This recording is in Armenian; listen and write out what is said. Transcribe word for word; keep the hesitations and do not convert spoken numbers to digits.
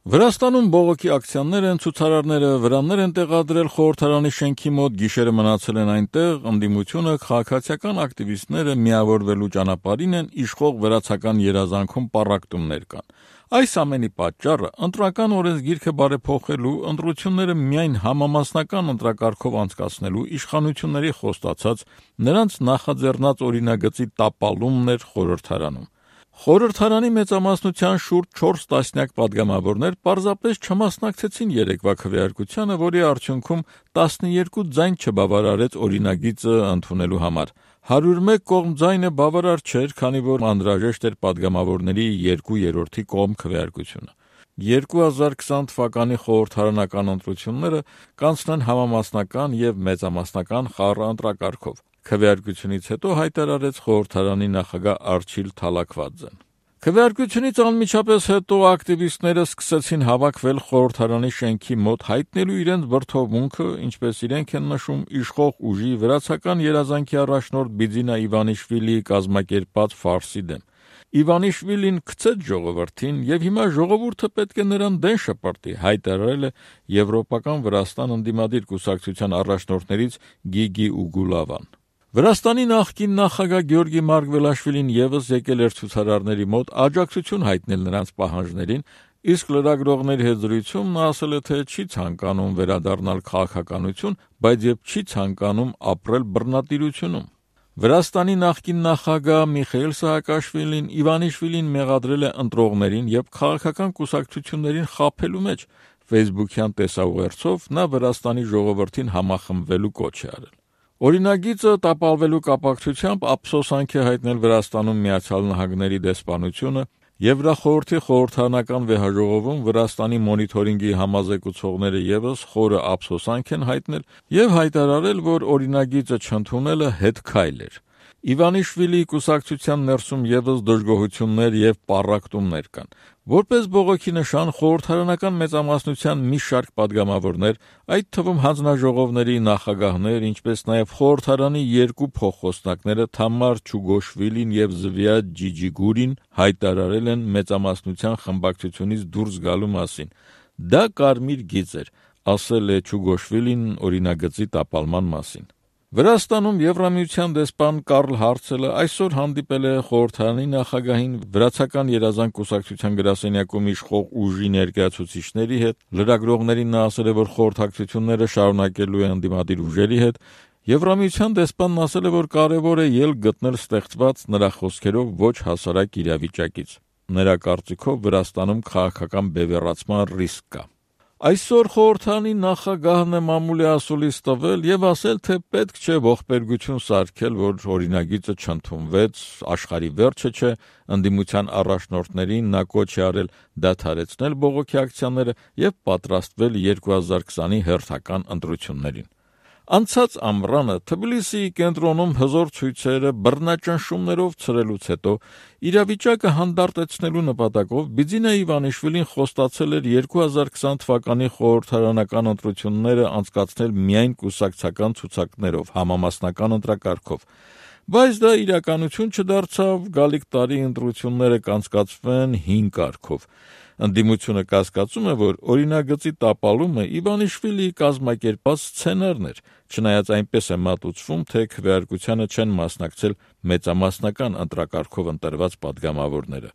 Վրաստանում բողոքի ակցիաներ են, ցուցարարները վրաններ են տեղադրել խորհրդարանի շենքի մոտ, գիշերը մնացել են այնտեղ, ընդդիմությունը քաղաքացիական ակտիվիստները միավորվելու ճանապարհին են, իշխող վրացական երազանքում պառակտումներ կան։ Այս ամենի պատճառը ընտրական օրենսգիրքը բարեփոխելու, ընտրությունները միայն համամասնական ընտրակարգով անցկացնելու իշխանությունների խոստացած նրանց նախաձեռնած օրինագծի տապալումն էր խորհրդարանում։ Խորհրդարանի մեծամասնության շուրջ չորս տասնյակ պատգամավորներ պարզապես չմասնակցեցին երեկվա քվեարկությանը, որի արդյունքում տասնյոթ ձայն չբավարարեց օրինագիծը ընդունելու համար։ հարյուր մեկ կողմ ձայնը բավարար չէր, քանի որ անհրաժեշտ էր պատգամավորների երկու երրորդի կողմ քվեարկությունը։ երկու հազար քսան թվականի խորհրդարանական ընտրությունները կանցնեն համամասնական և մեծամասնական խառը ընտրակարգով։ Քվեարկությունից հետո հայտարարեց խորհրդարանի նախագահ Արչիլ Թալաքվաձեն։ Քվեարկությունից անմիջապես հետո ակտիվիստները սկսեցին հավաքվել խորհրդարանի շենքի մոտ, հայտնելու իրենց բրդովմունքը, ինչպես իրենք են նշում, իշխող ուժի վրացական երազանքի առաջնորդ Բիձինա Իվանիշվիլիի կազմակերպած ֆարսի դեմ։ Իվանիշվիլին գցեց ժողովրդին, և հիմա ժողովուրդը պետք է նրան դեն շպրտի, հայտարարել է Եվրոպական Վրաստան ընդդիմադիր կուսակցության առաջնորդներից Գիգի Ուգուլավան։ Վրաստանի նախկին նախագահ Գյորգի Մարգվելաշվիլին ևս եկել էր ցուցարարների մոտ աջակցություն հայտնել նրանց պահանջներին, իսկ լրագրողների հետ զրույցում նա ասել է, թե չի ցանկանում վերադառնալ քաղաքականություն, բայց և չի ցանկանում ապրել բռնատիրությունում։ Վրաստանի նախկին նախագահ Միխայիլ Սահակաշվիլին Իվանիշվիլին մեղադրել է ընտրողներին և քաղաքական կուսակցություններին խաբելու մեջ։ Facebook-յան տեսաուղերձով նա Վրաստանի ժողովրդին համախմբվելու կոչ է արել։ Օրինագիծը տապալվելու կապակցությամբ ափսոսանք է հայտնել Վրաստանում Միացյալ Նահանգների դեսպանությունը, Եվրախորհրդի խորհրդարանական վեհաժողովում Վրաստանի մոնիթորինգի համազեկուցողները ևս խորը ափսոսանք են հայտնել և հայտարարել, որ օրինագիծը չընդունելը հետքայլ էր։ Իվանիշվիլիի կուսակցության ներսում ևս դժգոհություններ և պառակտումներ կան։ Որպես բողոքի նշան, խորհրդարանական մեծամասնության մի շարք պատգամավորներ, այդ թվում հանձնաժողովների նախագահներ, ինչպես նաև խորհրդարանի երկու փոխխոսնակները Թամար Չուգոշվիլին և Զվիադ Ջիջիգուրին հայտարարել են մեծամասնության խմբակցությունից դուրս գալու մասին։ Դա կարմիր գիծ էր, ասել է Չուգոշվիլին օրինագծի տապալման մասին։ Վրաստանում Եվրամիության դեսպան Կարլ Հարցելը այսօր հանդիպել է խորհրդարանի նախագահին, վրացական երազանք կուսակցության գրասենյակում իշխող ուժի ներկայացուցիչների հետ, լրագրողներին նա ասել է, որ խորհրդակցությունները շարունակելու է ընդդիմադիր ուժերի հետ։ Եվրամիության դեսպանն ասել է, որ կարևոր է ելք գտնել ստեղծված, նրա խոսքերով, ոչ հասարակ իրավիճակից։ Նրա կարծիքով Վրաստանում քաղաքական բևեռացման ռիսկ կա։ Այսօր խորհրդարանի նախագահն է մամուլի ասուլիս տվել և ասել, թե պետք չէ ողբերգություն սարքել, որ օրինագիծը չընդունվեց, աշխարհի վերջը չէ, ընդդիմության առաջնորդներին նա կոչ է արել դադարեցնել բողոքի ակցիաները և պատրաստվել երկու հազար քսանի հերթական ընտրություններին։ Անցած ամռանը Թբիլիսիի կենտրոնում հզոր ցույցերը բռնաճնշումներով ցրելուց հետո իրավիճակը հանդարտեցնելու նպատակով Բիձինա Իվանիշվիլին խոստացել էր երկու հազար քսան թվականի խորհրդարանական ընտրությունները անցկացնել միայն կուսակցական ցուցակներով, համամասնական ընտրակարգով, բայց դա իրականություն չդարձավ, գալիք տարի ընտրությունները կանցկացվեն հին կարգով։ Ընդդիմությունը կասկածում է, որ օրինագծի տապալումը Իվանիշվիլիի կազմակերպած սցենարն էր, չնայած այնպես է մատուցվում, թե քվեարկությանը չեն մասնակցել մեծամասնական ընտրակարգով ընտրված պատգամավորները։